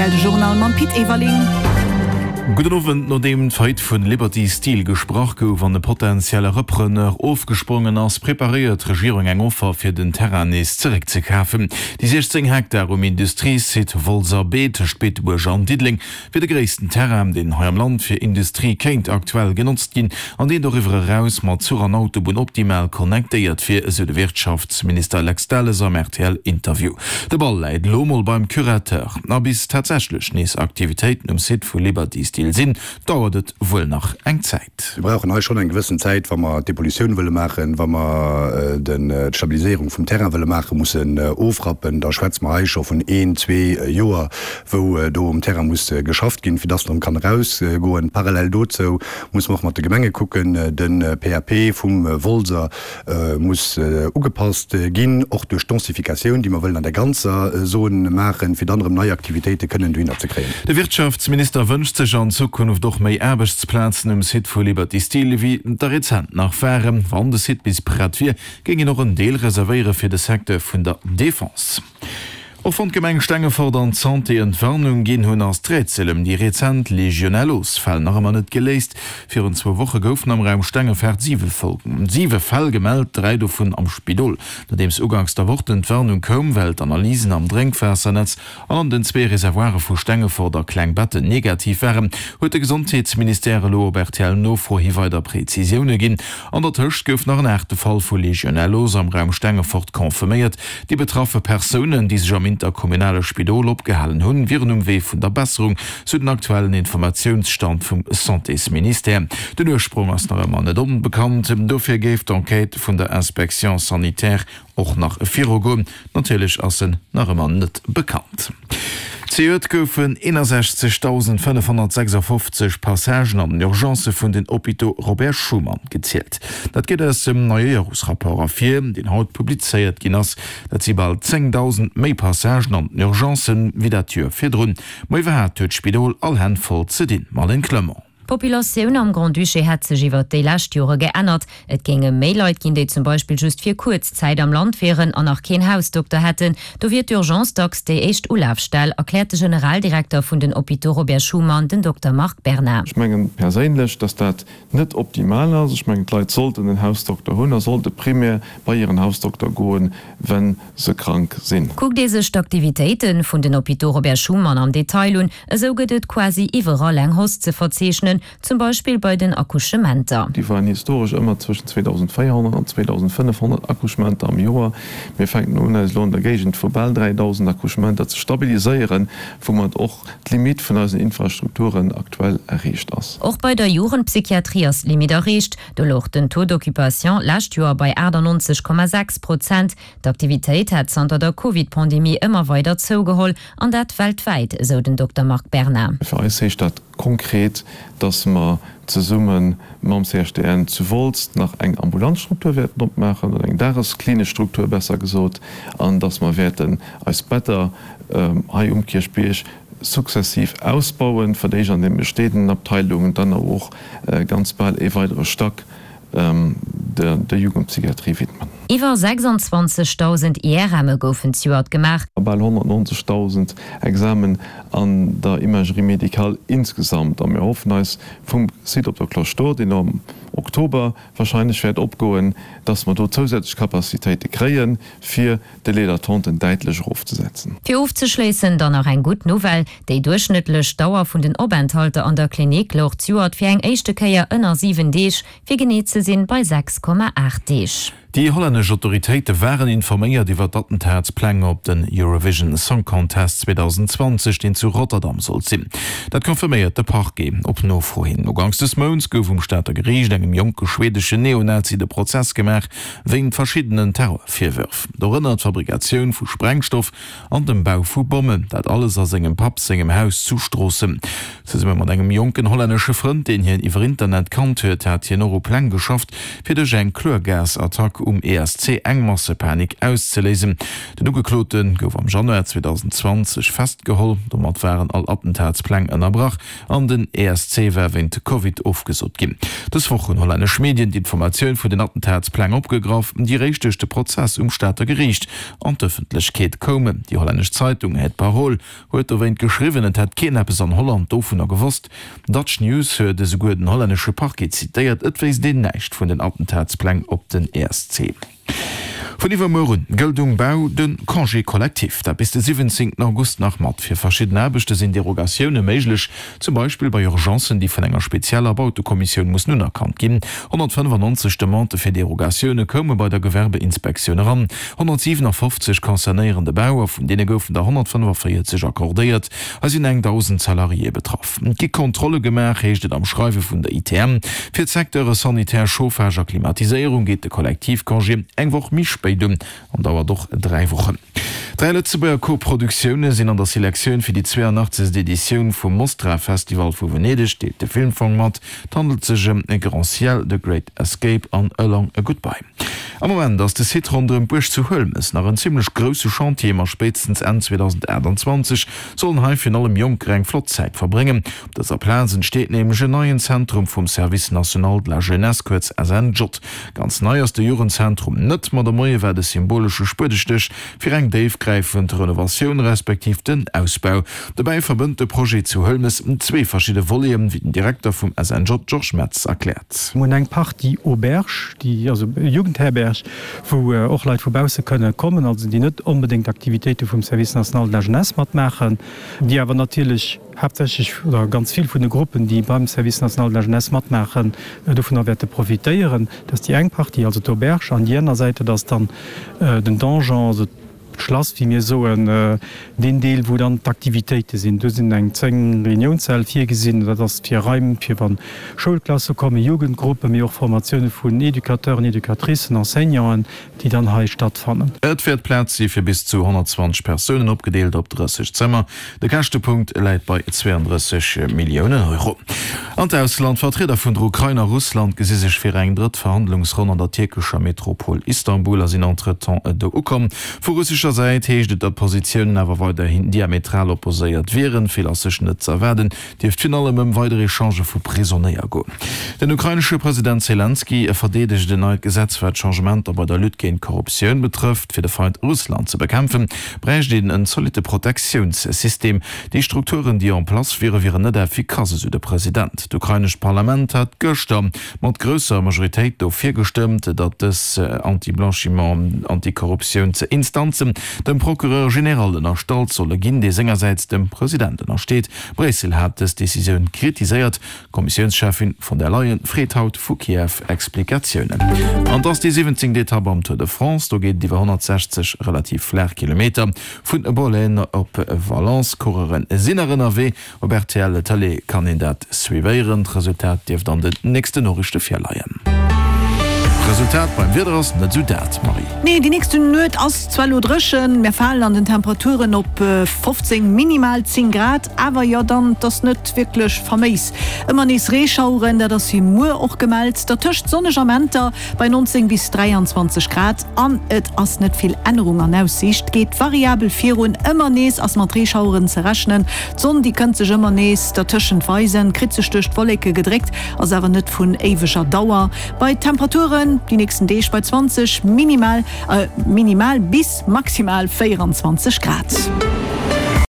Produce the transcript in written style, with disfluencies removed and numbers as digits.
Rtl, de Journal mam Pit Everling. Gudden Owend. Nodeem d'Faillite vu Liberty Steel gesprach gouf an e potentielle Repreneur ofgesprongen ass, preparéiert d'Regierung eng Offer fir den Terrain nees zeréckzekafen. Déi 16 Hektar um Industriesite Wolser Bee tëscht Beetebuerg an Diddeleng wier de gréissten Terrain, deen hei am Land fir Industrie kéint aktuell genotzt ginn an deen doriwwer eraus mat Zuch an Autobunn optimal connectéiert wier, esou de Wirtschaftsminister Lex Delles am RTL-Interview. De Ball läit elo mol beim Curateur. A bis tatsächlech nees Aktivitéiten um Site vu Liberty Steel sinn, dauert et wuel nach eng Zäit. Mir brauchen hei schonn eng gewëssen Zäit, wa mer d'Depollutioun wëlle maachen, wa mer d'Stabiliséierung vum Terrain wëlle maachen, mussen ofrappen, da schwätze mer hei scho vun een, zwee Joer, wou do um Terrain muss geschafft ginn, fir dass en erëm kann erausgoen. Parallel dozou muss mer och mat de Gemenge kucken, de PAP vum Wolser muss ugepasst ginn, och duerch d'Densificatioun, déi mer wëllen an der ganzer Zon maachen, fir dann erëm nei Aktivitéite kënnen dohinner ze kréien. De Wirtschaftsminister wënscht sech an Zukunft och méi Aarbechtsplazen um Site vu Liberty Steel, ewéi der rezent nach waren. Wann de Site bis prett wier, géing een och en Deel reservéiere fir de Secteur vun der Defense. Och wann d'Gemeng Stengefort an d'Santé Entwarnung ginn hunn, ass d'Rätsel ëm déi rezent Legionellosfäll nach ëmmer net geléist. Virun zwou Woche goufen am Raum Stengefart siwe Fäll gemellt, 3 dovun am Spidol. Nodeems uganks der Woch d'Entwarnung koum, well d'Analysen am Drénkwaassernetz an an den zwee Reservoire vu Stengefort a Klengbetten negativ waren, huet de Gesondheetsministère elo op RTL-Nofro hi weider Prezisioune ginn. An der Tëscht gouf nach en aachte Fall vu Legionellos am Raum Stengefort confirméiert. Déi betraffe Persounen, déi sech am interkommunale Spidol opgehalen hunn, wieren um Wee vun der Besserung, sou den aktuellen Informatiounsstand vum Santésministère. Den Ursprong ass nach ëmmer net onbekannt, dofir géif d'Enquête vun der Inspection sanitaire och nach virugoen. Natierlech ass en nach ëmmer net bekannt. Zejoert goufen 61.556 Passagen an den Urgencë vun den Hôpitaux Robert Schuman gezielt. Dat geet aus dem neie Joresrapport ervir, deen haut publizéiert ginn ass. Dat si bal 10.000 méi Passagen an den Urgencen, wéi dat Joer virdrun. Ma iwwerhaapt huet d'Spidol all Hänn voll ze dinn. Marlène Clement. D'Populatioun am Grand-Duché hätt sech iwwert déi lescht Jore geännert. Et géinge méi Leit ginn, déi zum Beispill just fir kuerz Zäit am Land wieren an nach keen Hausdokter hätten. Do wier d'Urgence dacks déi éischt Ulafstell, erkläert de Generaldirekter vun den Hôpitaux Robert Schuman, den Dokter Marc Berna. Ech mengen perséinlech, dass dat net optimal ass. Ech mengen, d'Leit sollten en Hausdokter hunn a sollte primär bei hiren Hausdokter goen, wa se krank sinn. Kuckt ee sech d'Aktivitéite vun den Hôpitaux Robert Schuman am Detail un, esou gëtt et quasi iwwerall eng Hausse ze verzeechnen, zum Beispill bei den Accouchementer. Déi waren historesch ëmmer zwëschen 2.400 an 2.500 Accouchementer am Joer. Mir fänken un, eis elo an der Géigend vu bal 3.000 Accouchementer ze stabiliséieren, woumat och d'Limitt vun eisen Infrastrukturen aktuell erreecht ass. Och bei der Jugendpsychiatrie ass d'Limitt erreecht. Do louch den Taux d'occupation d'lescht Joer bei 98,6 Prozent. D'Aktivitéit hätt zanter der Covid-Pandemie ëmmer weider zougeholl, an dat weltwäit, esou den Dokter Marc Berna. Fir eis heescht dat konkret, dass mer zesumme mam CHDN zu Wolz nach eng ambulant Struktur wäerten opmaachen, oder eng dagesklinesch Struktur besser gesot, an dass mer wäerten eis Better hei um Kierchbierg sukzessiv ausbauen, fir d'éischt an den bestehenden Abteilungen, dann awer och ganz bal ee weidere Stack der Jugendpsychiatrie widmen. Iwwer 26.000 IRMe goufen zejoert gemaach. A bal 190.000 Examen an der Imagerie médicale insgesamt. A mir hoffen eis vum Site op der Cloche d'Or, deen am Oktober wahrscheinlech wäert opgoen, dass mer do zousätzlech Capacitéite kréien, fir Délais d'attenten däitlech erofzesetzen. Fir ofzeschléissen dann nach eng gutt Nouvelle, Déi duerchschnëttlech Dauer vun den Openthalter an der Klinik louch d'Joert fir eng éischte Kéier ënner 7 Deeg, fir genee ze sinn bei 6,8 Deeg. Déi hollännesch Autoritéite waren informéiert iwwer d'Attentatspläng op den Eurovision Song Contest 2020, deen zu Rotterdam sollt sinn. Dat confirméiert de Parquet op Nofro hin. Uganks des Mounts gouf um Stater Geriicht engem jonke schweedeschen Neonazi de Prozess gemaach, wéint verschiddenen Terrorvirwërf, dorënner d'Fabrikatioun vu Sprengstoff an dem Bau vu Bommen, dat alles a sengem Papp sengem Haus zu Stroossen. Zesumme mat engem jonken hollännesche Frënd, deen hien iwwer Internet kannt huet, hat hien och u Pläng geschafft, fir duerch eng Chlorgasattack. um ESC eng Massepanik auszeléisen. Den Ugeklote gouf am Januar 2020 festgeholl. Domat waren all Attentatspläng ënnerbrach an den ESC war wéint Covid ofgesot ginn. Dës Woch hunn hollännesch Medien d'Informatioun vun den Attentatspläng opgegraff, déi réischt duerch de Prozess um Stater Geriicht an d'Ëffentlechkeet koumen. Déi hollännesch Zeitung Het Parool huet dowéint geschriwwen, et hätt keen eppes an Holland dovunner gewosst. Dutch News huet esouguer den hollännesche Parquet zitéiert, et wéisst een näischt vun den Attentatspläng op den ESC. Vun iwwermuer un gëllt um Bau de Congé collectif, dat bis de 17 August nach mat. Fir verschidden Aarbechte sinn Derogatioune méiglech, zum Beispill bei Urgencen, déi vun enger spezieller Bautekommissioun mussen unerkannt ginn. 195 Demandë fir Derogatioune koume bei der Gewerbeinspektioun eran, 157 concernéieren de Bau a vun deene goufen der 145 accordéiert. Hei sinn eng 1.000 Salariéë betraff. Et gi Kontrolle gemaach, heescht et am Schreiwe vun der ITM. Fir d'Secteure Sanitär, Chauffage a Klimatiséierung geet de Kollektivcongé eng Woch méi spéit un an dauert och 3 Wochen. 3 Lëtzebuerger Koproduktioune sinn an der Selektioun fir déi 82. Editioun vum Mostra-Festival vu Venedeg, deelt de Filmfong mat. Et handelt sech ëm Grand Ciel, The Great Escape an A Long Goodbye. Am Moment ass de Site ronderëm d'Buerg zu Huelmes nach en zimmlech grousse Chantier, ma spéitstens Enn 2028 sollen hei virun allem Jonker eng flott Zäit verbréngen. Op dëser Plaz entsteet nämlech en neien Zentrum vum Service National de la Jeunesse, kuerz SNJ. Ganz nei ass de Jugendzentrum net, ma de Moie war de symbolesche Spuedestéch fir eng déifgräifend Renovatioun respektiv den Ausbau. Dobäi verbënnt de Projet zu Huelmes zwee verschidde Voleten, wéi den Direkter vum SNJ Georges Metz erkläert. Mir hunn eng Partie Auberge, déi, also Jugendherberg, wou och Leit vu bausse kënne kommen, also déi net onbedéngt d'Aktivitéite vum Service national de la jeunesse matmaachen, déi awer natierlech haaptsächlech oder ganz vill vun de Gruppen, déi beim Service national de la jeunesse matmaachen, dovunner wäerte profitéieren. Dat ass déi eng Partie, also d'Auberge, an déi aner Säit, dat ass dann den Donjon, also d'Schlass, wéi mir soen, deen Deel, wou dann d'Aktivitéite sinn. Do sinn eng 10 Reuniounssäll virgesinn. Dat ass fir Raim, fir wa Schoulklasse kommen, Jugendgruppen, mee och Formatioune vun Educateuren, Educatricen, Enseignanten, déi dann hei stattfannen. Et wäert Plaz si fir bis zu 120 Persounen, opgedeelt op 30 Zëmmer. De Käschtepunkt läit bei 32 Milliounen Euro. An d'Ausland, Vertrieder vun der Ukrain a Russland gesi sech fir eng drëtt Verhandlungsronn an der tierkescher Metropol Istanbul a sinn entretemps do ukomm. Vu russescher Säit heescht et, datt d'Positiounen awer weiderhin diametral opposéiert wieren. Vill ass sech net z'erwaarden, dierft virun allem ëm weider Echangë vu Prisonéier goen. Den ukrainesche President Selenskyj verdeedegt en neit Gesetz, wat Changementer bei der Lutte géint d'Korruptioun betrëfft. Fir de Feind Russland ze bekämpfen, bräicht een en zolitte Protektiounssystem. Déi Strukturen, déi en place wieren, wieren net effikass, esou de President. D'ukrainescht Parlament hat gëschter mat grousser Majoritéit dofir gestëmmt, datt dës Anti-Blanchiment, Anti-Korruptiounsinstanzen dem Procureur général ënnerstallt solle ginn, dee sengersäits dem President ënnersteet. Bréissel hat dës Decisioun kritiséiert. D'Kommissiounscheffin von der Leyen freet haut vu Kiew Explikatiounen. An et ass déi 17. Etapp am Tour de France. Do geet et iwwer 160 relativ flaach Kilometer vun Bollène op Valence. D'Coureure sinn nach ënnerwee. Op rtl Tëlee kann een dat suivéieren. D'Resultat dierft an den nächsten Noriichte virleien. D'Resultat beim Wieder ass net esou dat, Marie. Nee, déi nächste Nuet ass zwar elo dréchen, mär falen an den Temperaturen op 15, minimal 10 Grad, awer jo dann, 't ass net wierklech faméis. Ëmmer nees Reeschaueren, dat ass fir muer och gemellt, dertëscht sonneg Amenter bei 19 bis 23 Grad an et ass net vill Ännerung an Aussiicht, geet variabel virun, ëmmer nees ass mat Reeschaueren ze rechnen. D'Sonn, déi kënnt sech ëmmer nees dertëschent weisen, kritt sech duerch d'Wolleke gedréckt, ass awer net vun éiweger Dauer. Bei Temperaturen déi nächsten Deeg bei 20 minimal minimal bis maximal 24 Grad.